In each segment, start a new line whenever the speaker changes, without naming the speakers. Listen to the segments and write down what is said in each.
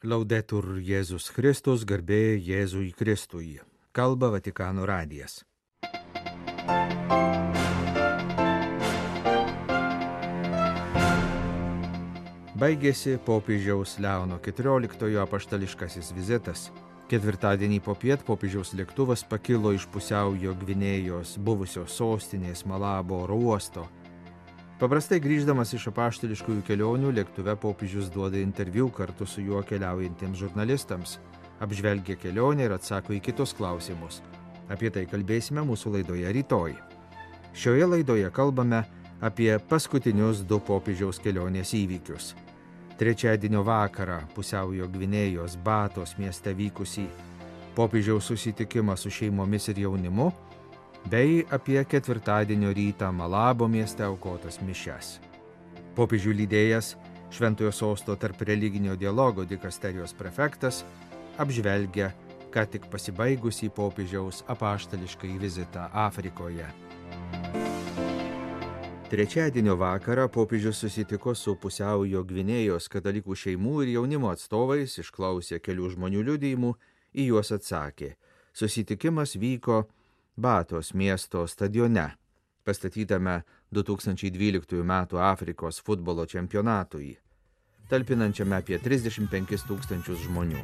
Laudetur Jėzus Kristus, garbė Jėzui Kristui. Kalba Vatikano radijas. Baigėsi popiežiaus Leono XIV apaštališkasis vizitas. Ketvirtadienį popiet popiežiaus lėktuvas pakilo iš Pusiaujo Gvinėjos buvusios sostinės Malabo oro uosto. Paprastai grįždamas iš apaštališkųjų kelionių, lėktuve popiežius duoda interviu kartu su juo keliaujantiems žurnalistams, apžvelgia kelionę ir atsako į kitus klausimus. Apie tai kalbėsime mūsų laidoje rytoj. Šioje laidoje kalbame apie paskutinius 2 popiežiaus kelionės įvykius. Trečiadienio vakarą Pusiaujo Gvinėjos Batos mieste vykusį popiežiaus susitikimą su šeimomis ir jaunimu, bei apie ketvirtadienio rytą Malabo mieste aukotas mišias. Popiežių lydėjęs Šventojo sosto tarp religinio dialogo dikasterijos prefektas apžvelgia ką tik pasibaigusį popiežiaus apaštališkai vizitą Afrikoje. Trečiadienio vakarą popiežius susitiko su Pusiaujo Gvinėjos katalikų šeimų ir jaunimo atstovais, išklausė kelių žmonių liudijimų, į juos atsakė. Susitikimas vyko Batos miesto stadione, pastatytame 2012 m. Afrikos futbolo čempionatui, talpinančiame apie 35 000 žmonių.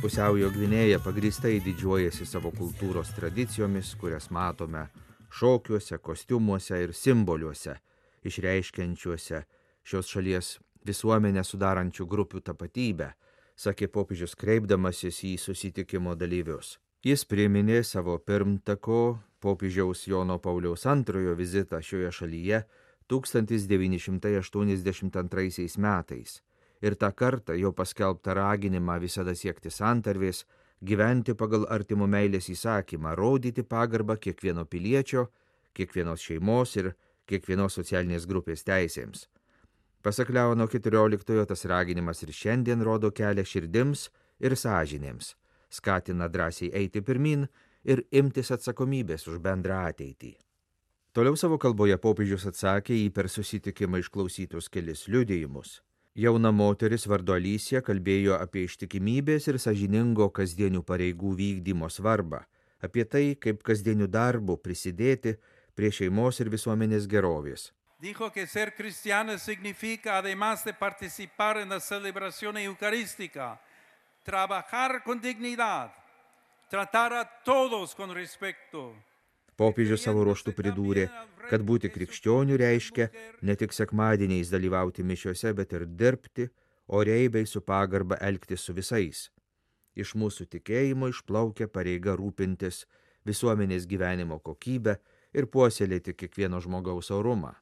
Pusiaujo Gvinėja pagrįstai didžiuojasi savo kultūros tradicijomis, kurias matome šokiuose, kostiumuose ir simboliuose, išreiškiančiuose šios šalies visuomenę sudarančių grupių tapatybę, sakė popiežius kreipdamasis į susitikimo dalyvius. Jis priminė savo pirmtako popiežiaus Jono Pauliaus II vizitą šioje šalyje 1982 metais ir tą kartą jo paskelbtą raginimą visada siekti santarvės, gyventi pagal artimo meilės įsakymą, rodyti pagarbą kiekvieno piliečio, kiekvienos šeimos ir kiekvienos socialinės grupės teisėms. Pasak Leono XIV tas raginimas ir šiandien rodo kelią širdims ir sąžinėms, skatina drąsiai eiti pirmin ir imtis atsakomybės už bendrą ateitį. Toliau savo kalboje popiežius atsakė į per susitikimą išklausytus kelis liudijimus. Jauna moteris vardu Alicija kalbėjo apie ištikimybės ir sąžiningo kasdienių pareigų vykdymo svarbą, apie tai, kaip kasdienių darbų prisidėti prie šeimos ir visuomenės gerovės.
Dijo que ser cristiano significa, además de participar en la celebración eucarística, trabajar con dignidad, tratar a todos con respeto.
Popiežius savo ruožtu pridūrė, kad būti krikščioniu reiškia ne tik sekmadieniais dalyvauti mišiose, bet ir dirbti, oriai bei su pagarba elgtis su visais. Iš mūsų tikėjimo išplaukia pareiga rūpintis visuomenės gyvenimo kokybę ir puoselėti kiekvieno žmogaus orumą.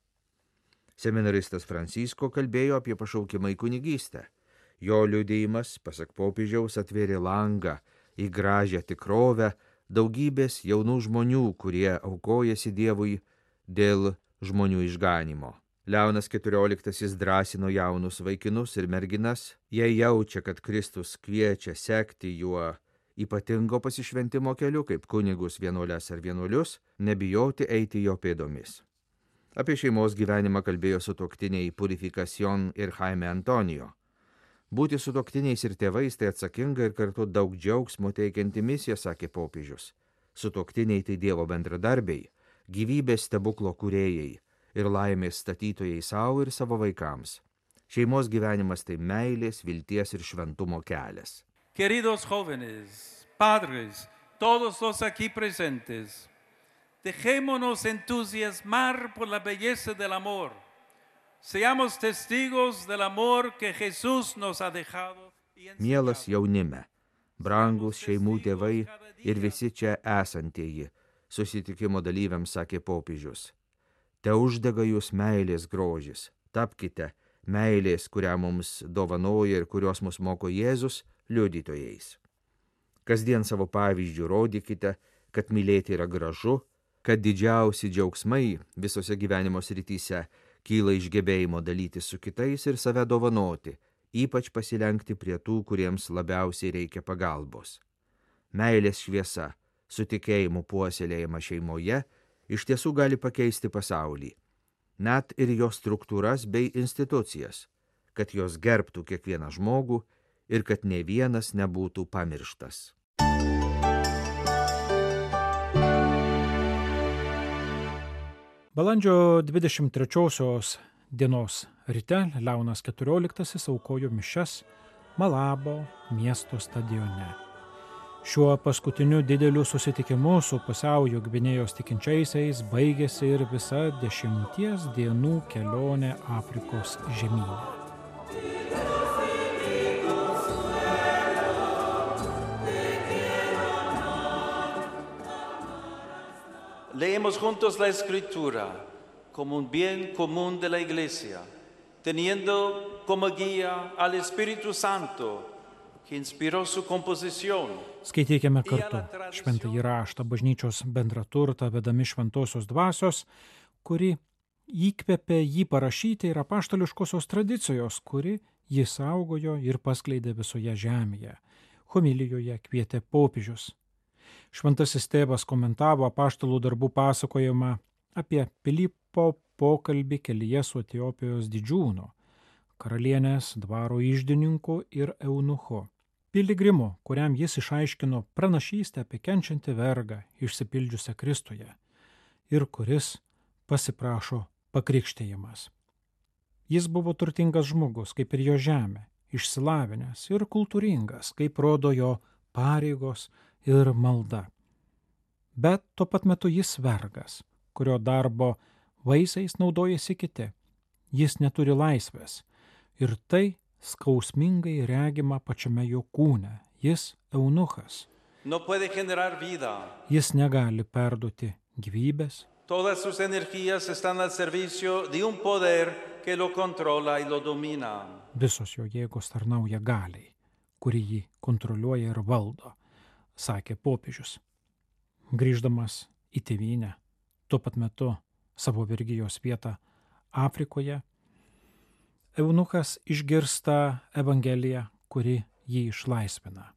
Seminaristas Francisko kalbėjo apie pašaukimą į kunigystę. Jo liudijimas, pasak popiežiaus, atvėrė langą į gražią tikrovę daugybės jaunų žmonių, kurie aukojasi Dievui dėl žmonių išganimo. Leonas XIV drąsino jaunus vaikinus ir merginas, jie jaučia, kad Kristus kviečia sekti juo ypatingo pasišventimo keliu, kaip kunigus, vienuoles ar vienuolius, nebijoti eiti jo pėdomis. Apie šeimos gyvenimą kalbėjo sutuoktiniai Purificación ir Jaime Antonijo. Būti sutuoktiniais ir tėvais tai atsakinga ir kartu daug džiaugsmo teikianti misija, sakė popiežius. Sutuoktiniai tai Dievo bendradarbiai, gyvybės stebuklo kūrėjai ir laimės statytojai savo ir savo vaikams. Šeimos gyvenimas tai meilės, vilties ir šventumo kelias.
Queridos jóvenes, padres, todos los aquí presentes, dejémonos entusiasmar por la belleza del amor. Seamos testigos del amor que Jesús nos ha dejado.
Mielas jaunime, brangus šeimų tėvai ir visi čia esantieji, susitikimo dalyviams sakė popiežius. Te uždega jūs meilės grožis, tapkite meilės, kurią mums dovanoja ir kurios mus moko Jėzus, liudytojais. Kasdien savo pavyzdžių rodykite, kad mylėti yra gražu, kad didžiausi džiaugsmai visose gyvenimo srityse kyla iš gebėjimo dalyti su kitais ir save dovanoti, ypač pasilenkti prie tų, kuriems labiausiai reikia pagalbos. Meilės šviesa, su tikėjimu puoselėjama šeimoje, iš tiesų gali pakeisti pasaulį, net ir jo struktūras bei institucijas, kad jos gerbtų kiekvieną žmogų ir kad nė vienas nebūtų pamirštas.
Balandžio 23 dienos ryte Leonas XIV aukojo mišias Malabo miesto stadione. Šiuo paskutiniu dideliu susitikimu su pusiaujo Gvinėjos tikinčiaisiais baigėsi ir visa 10 dienų kelionė Afrikos žemyne.
Leemos juntos la Escritura como un bien común de la Iglesia, teniendo como guía al Espíritu Santo, que inspiró su composición.
Skaitykime kartu šventąjį raštą, bažnyčios bendrą turtą, vedami šventosios dvasios, kuri įkvėpė jį parašyti ir apaštališkosios tradicijos, kuri jį saugojo ir paskleidė visoje žemėje. Homilijoje kvietė popiežius. Šventasis tėvas komentavo apaštalų darbų pasakojimą apie Pilypo pokalbį kelyje su Etiopijos didžiūnu, karalienės dvaro iždininku ir eunuchu. Piligrimu, kuriam jis išaiškino pranašystę apie kenčiantį vergą išsipildžiusią Kristuje ir kuris pasiprašo pakrikštijimas. Jis buvo turtingas žmogus, kaip ir jo žemė, išsilavinęs ir kultūringas, kaip rodo jo pareigos ir malda. Bet tuo pat metu jis vergas, kurio darbo vaisiais naudojasi kiti. Jis neturi laisvės ir tai skausmingai regima pačiame jo kūne. Jis eunuchas.
No puede generar vida.
Jis negali perduoti gyvybės.
Todas sus energías están al servicio de un poder que lo controla y lo domina.
Visos jo jėgos tarnauja galiai, kuri jį kontroliuoja ir valdo, sakė popiežius. Grįždamas į tėvynę, tuo pat metu savo vergijos vietą Afrikoje, eunuchas išgirsta Evangeliją, kuri jį išlaisvina.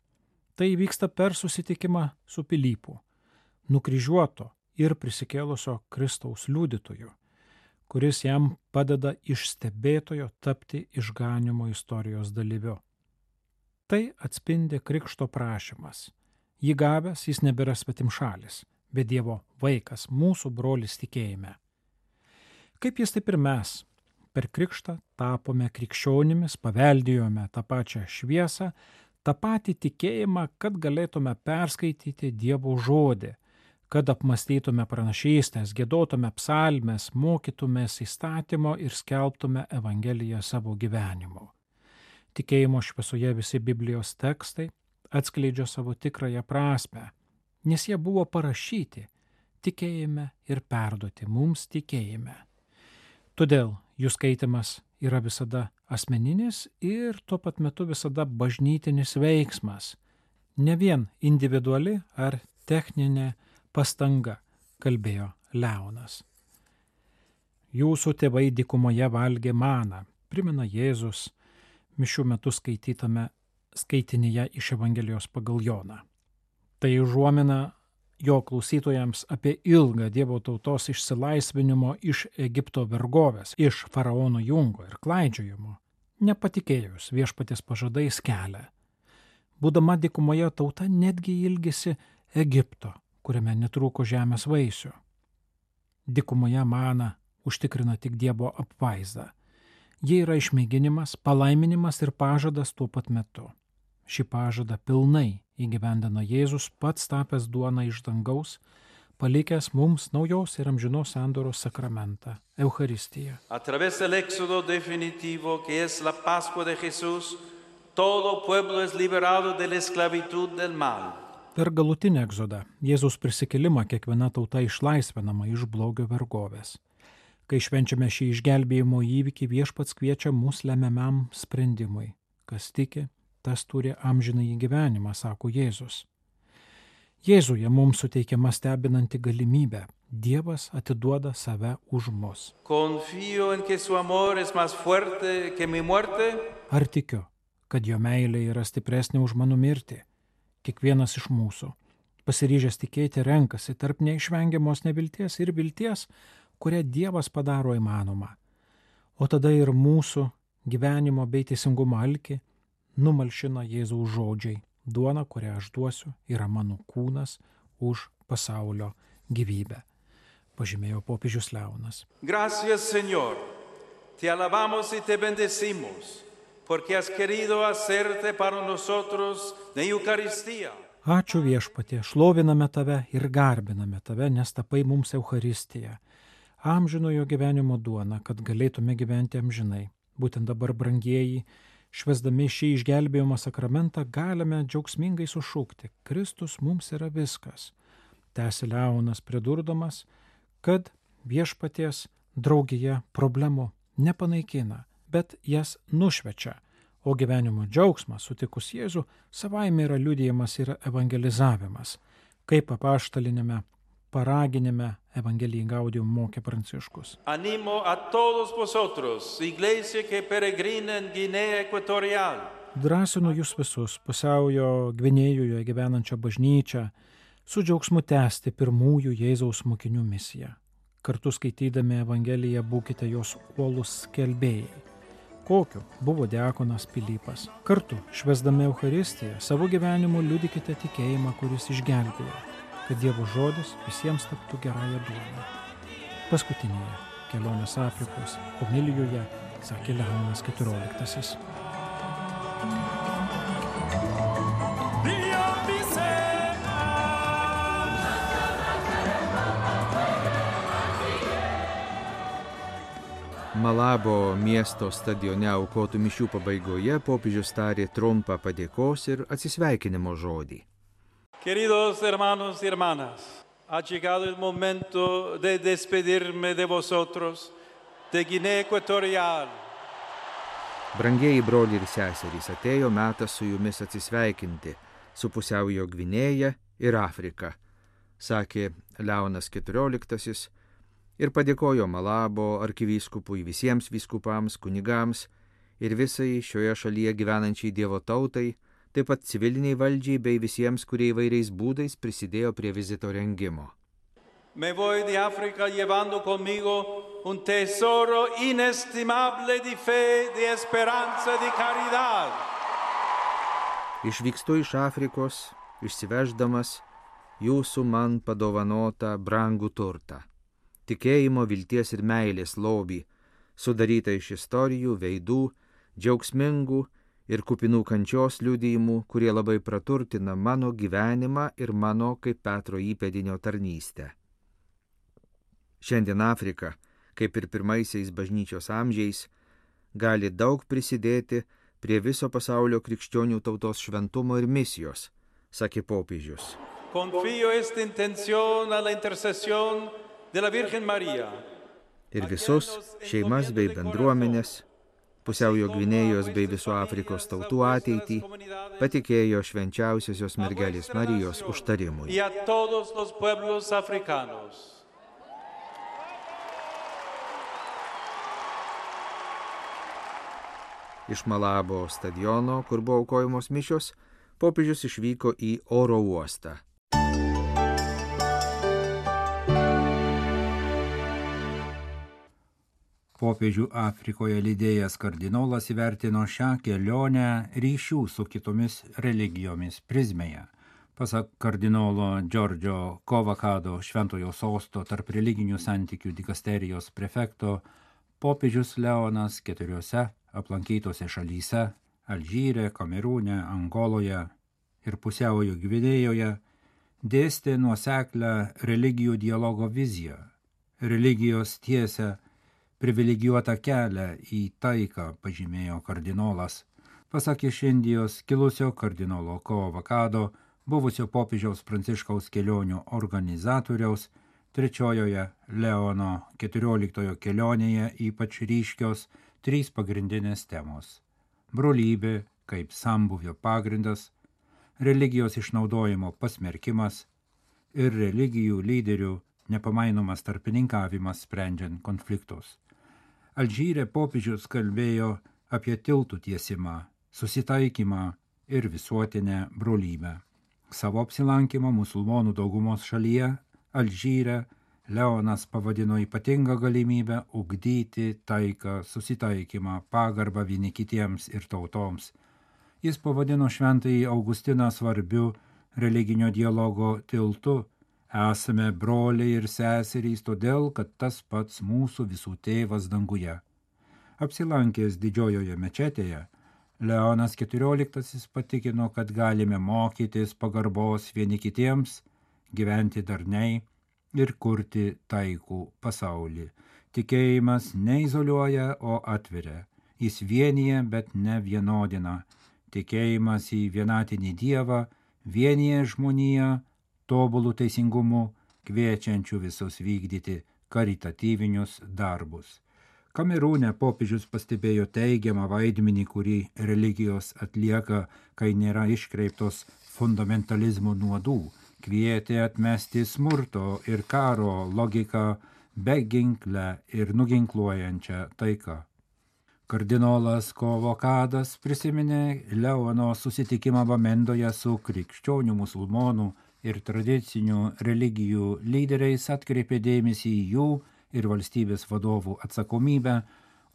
Tai vyksta per susitikimą su Pilypu, nukryžiuoto ir prisikėlusio Kristaus liudytoju, kuris jam padeda iš stebėtojo tapti išganymo istorijos dalyviu. Tai atspindi krikšto prašymas. Jį gavęs jis nebėra svetimšalis, bet Dievo vaikas, mūsų brolis tikėjime. Kaip jis, taip ir mes. Per krikštą tapome krikščionimis, paveldėjome tą pačią šviesą, tą patį tikėjimą, kad galėtume perskaityti Dievo žodį, kad apmąstytume pranašystės, giedotume psalmes, mokytumės įstatymo ir skelbtume Evangeliją savo gyvenimu. Tikėjimo šviesoje visi Biblijos tekstai atskleidžia savo tikrąją prasmę, nes jie buvo parašyti tikėjime ir perduoti mums tikėjime. Todėl jų skaitimas yra visada asmeninis ir tuo pat metu visada bažnytinis veiksmas, ne vien individuali ar techninė pastanga, kalbėjo Leonas. Jūsų tėvai dykumoje valgė maną, primena Jėzus mišių metu skaitytame skaitinyje iš Evangelijos pagal Joną. Tai užuomina jo klausytojams apie ilgą Dievo tautos išsilaisvinimo iš Egipto vergovės, iš faraono jungo ir klaidžiojimo, nepatikėjus viešpaties pažadais kelią. Būdama dykumoje tauta netgi ilgisi Egipto, kuriame netrūko žemės vaisių. Dykumoje maną užtikrina tik Dievo apvaizda. Jie yra išmėginimas, palaiminimas ir pažadas tuo pat metu. Šį pažadą pilnai įgyvendino Jėzus, pats tapęs duona iš dangaus, palikęs mums naujos ir amžinos sandoros sakramentą – Eucharistiją.
A través del éxodo definitivo, que es la Pascua de Jesús, todo pueblo es liberado de la esclavitud del mal.
Per galutinį egzodą, Jėzus prisikėlimą kiekviena tauta išlaisvinama iš blogio vergovės. Kai švenčiame šį išgelbėjimo įvykį, Viešpats kviečia mus lemiamam sprendimui. Kas tiki, tas turi amžinąjį gyvenimą, sako Jėzus. Jėzuje mums suteikiama stebinanti galimybė. Dievas atiduoda save už mus.
Confío en que su amor es más fuerte que mi muerte.
Ar tikiu, kad jo meilė yra stipresnė už mano mirtį? Kiekvienas iš mūsų, pasiryžęs tikėti, renkasi tarp neišvengiamos nevilties ir vilties, kurią Dievas padaro įmanoma. O tada ir mūsų gyvenimo bei teisingumo alkį numalšina Jėzaus žodžiai. Duona, kurią aš duosiu, yra mano kūnas už pasaulio gyvybę. Pažymėjo popiežius Leonas.
Gracias, Señor. Te alabamos y te bendecimos, porque has querido hacerte para nosotros de Eucaristía.
Ačiū viešpatie, šloviname tave ir garbiname tave, nes tapai mums Eucharistiją, amžinojo gyvenimo duona, kad galėtume gyventi amžinai. Būtent dabar, brangieji, švęsdami šį išgelbėjimo sakramentą, galime džiaugsmingai sušūkti: Kristus mums yra viskas. Tęsė Leonas, pridurdamas, kad viešpaties draugija problemų nepanaikina, bet jas nušvečia, o gyvenimo džiaugsmas sutikus Jėzų savaime yra liudijimas ir evangelizavimas, kaip apaštalinėme paraginime Evangelijai Gaudium mokė Pranciškus.
Animo a todos vosotros, iglesia que peregrina en Guinea Ecuatorial.
Drąsinu jūs visus, pusiaujo Gvinėjoje gyvenančią bažnyčią, su džiaugsmu tęsti pirmųjų Jėzaus mokinių misiją. Kartu skaitydami Evangeliją būkite jos uolūs skelbėjai. Kokiu buvo diakonas Pilypas. Kartu, švęsdami Eucharistiją, savo gyvenimu liudykite tikėjimą, kuris išgelbėjo, kad Dievo žodis visiems taptų gerąją duoną. Paskutinėje kelionės Afrikos homilijoje sakė Leonas XIV.
Malabo miesto stadione aukotų mišių pabaigoje popiežius tarė trumpą padėkos ir atsisveikinimo žodį.
Queridos hermanos y hermanas, ha llegado el momento de despedirme de vosotros, de Guinea Ecuatorial.
Brangieji broliai ir seserys, atėjo metas su jumis atsisveikinti su pusiaujo Gvinėja ir Afrika, sakė Leonas XIV ir padėkojo Malabo arkivyskupui, visiems vyskupams, kunigams ir visai šioje šalyje gyvenančiai Dievo tautai, taip pat civiliniai valdžiai bei visiems, kurie įvairiais būdais prisidėjo prie vizito rengimo.
Me voy de África llevando conmigo un tesoro inestimable de fe, de esperanza, de caridad.
Išvykstu iš Afrikos, išsiveždamas jūsų man padovanotą brangų turtą. Tikėjimo, vilties ir meilės lobį, sudarytą iš istorijų, veidų, džiaugsmingų ir kupinų kančios liudijimų, kurie labai praturtina mano gyvenimą ir mano kaip Petro įpėdinio tarnystę. Šiandien Afrika, kaip ir pirmaisiais bažnyčios amžiais, gali daug prisidėti prie viso pasaulio krikščionių tautos šventumo ir misijos, sakė popiežius.
Confío esta intención a la intercesión de la Virgen María.
Ir visus šeimas bei bendruomenės, pusiaujo Gvinėjos bei viso Afrikos tautų ateitį patikėjo švenčiausiosios mergelės Marijos užtarimui.
Y a todos los pueblos africanos.
Iš Malabo stadiono, kur buvo aukojamos mišios, popiežius išvyko į oro uostą.
Popiežių Afrikoje lydėjęs kardinolas įvertino šią kelionę ryšių su kitomis religijomis prizmėje. Pasak kardinolo Giorgio Covacado Šventojo sosto tarp religinių santykių dikasterijos prefekto, popiežius Leonas 4 aplankytose šalyse – Alžyre, Kamerūne, Angoloje ir pusiaujo Gvinėjoje – dėstė nuoseklią religijų dialogo viziją. Religijos tiesia privilegijuotą kelią į taiką, pažymėjo kardinolas. Pasak iš Indijos kilusio kardinolo Covacado, buvusio popiežiaus Pranciškaus kelionių organizatoriaus, 3 Leono 14 kelionėje ypač ryškios 3 pagrindinės temos: brolybė kaip sambūvio pagrindas, religijos išnaudojimo pasmerkimas ir religijų lyderių nepamainomas tarpininkavimas sprendžiant konfliktus. Alžyre popiežius kalbėjo apie tiltų tiesimą, susitaikymą ir visuotinę brolybę. Savo apsilankymą musulmonų daugumos šalyje, Alžyre, Leonas pavadino ypatingą galimybę ugdyti taiką, susitaikymą, pagarbą vieni kitiems ir tautoms. Jis pavadino šventąjį Augustiną svarbiu religinio dialogo tiltu. Esame broliai ir seserys, todėl, kad tas pats mūsų visų tėvas danguje. Apsilankęs didžiojoje mečetėje, Leonas XIV patikino, kad galime mokytis pagarbos vieni kitiems, gyventi darniai ir kurti taikų pasaulį. Tikėjimas neizoliuoja, o atveria. Jis vienyje, bet ne vienodina. Tikėjimas į vienatinį Dievą vienyje žmoniją tobulų teisingumu, kviečiančių visus vykdyti karitatyvinius darbus. Kamerūne popiežius pastebėjo teigiamą vaidmenį, kurį religijos atlieka, kai nėra iškreiptos fundamentalizmo nuodų, kvietė atmesti smurto ir karo logiką beginklę ir nuginkluojančią taiką. Kardinolas Kovokadas prisiminė Leono susitikimą Bamendoje su krikščionių, musulmonų ir tradicinių religijų lyderiais, atkreipė dėmesį į jų ir valstybės vadovų atsakomybę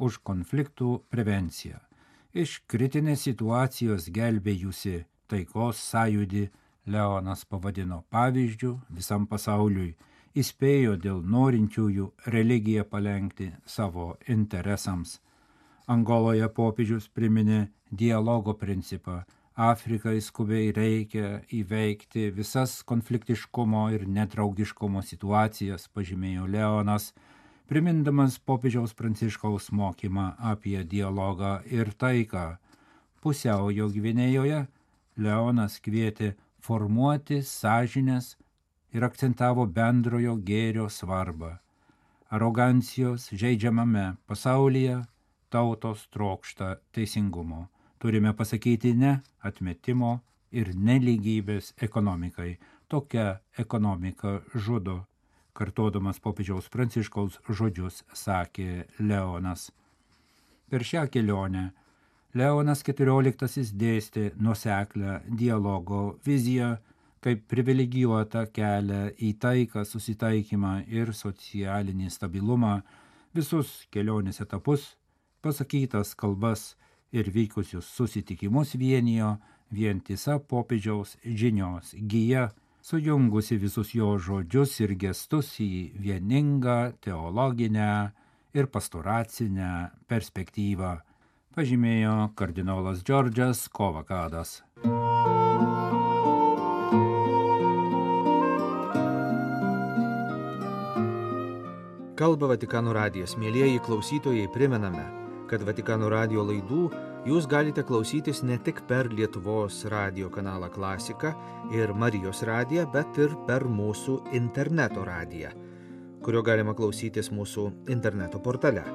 už konfliktų prevenciją. Iš kritinės situacijos gelbėjusi taikos sąjūdį Leonas pavadino pavyzdžiu visam pasauliui, įspėjo dėl norinčiųjų religiją palenkti savo interesams. Angoloje popiežius priminė dialogo principą. Afrikai skubiai reikia įveikti visas konfliktiškumo ir nedraugiškumo situacijas, pažymėjo Leonas, primindamas popiežiaus Pranciškaus mokymą apie dialogą ir taiką. Pusiaujo Gvinėjoje Leonas kvietė formuoti sąžines ir akcentavo bendrojo gėrio svarbą. Arogancijos žeidžiamame pasaulyje tautos trokšta teisingumo. Turime pasakyti ne atmetimo ir nelygybės ekonomikai. Tokia ekonomika žudo, kartodamas popiežiaus Pranciškaus žodžius, sakė Leonas. Per šią kelionę Leonas XIV dėstė nuoseklę dialogo viziją kaip privilegijuotą kelią į taiką, susitaikymą ir socialinį stabilumą, visus kelionės etapus, pasakytas kalbas ir vykusius susitikimus vienijo vientisa popiežiaus žinios gija, sujungusi visus jo žodžius ir gestus į vieningą teologinę ir pastoracinę perspektyvą, pažymėjo kardinolas Džordžas Kovokadas.
Kalba Vatikano radijas. Mielieji klausytojai, primename, kad Vatikano radijo laidų jūs galite klausytis ne tik per Lietuvos radijo kanalą Klasika ir Marijos radiją, bet ir per mūsų interneto radiją, kurio galima klausytis mūsų interneto portale.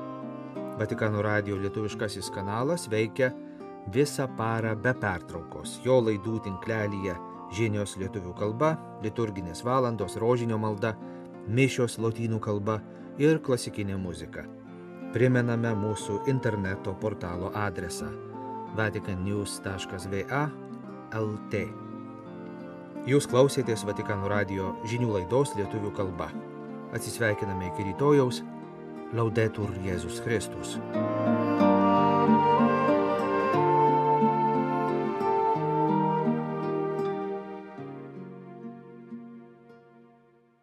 Vatikano radijo lietuviškasis kanalas veikia visą parą be pertraukos. Jo laidų tinklelyje žinios lietuvių kalba, liturginės valandos, rožinio malda, mišios lotynų kalba ir klasikinė muzika. Primename mūsų interneto portalo adresą vaticannews.va/lt. Jūs klausėtės Vatikano radijo žinių laidos lietuvių kalba. Atsisveikiname iki rytojaus. Laudetur Jėzus Kristus.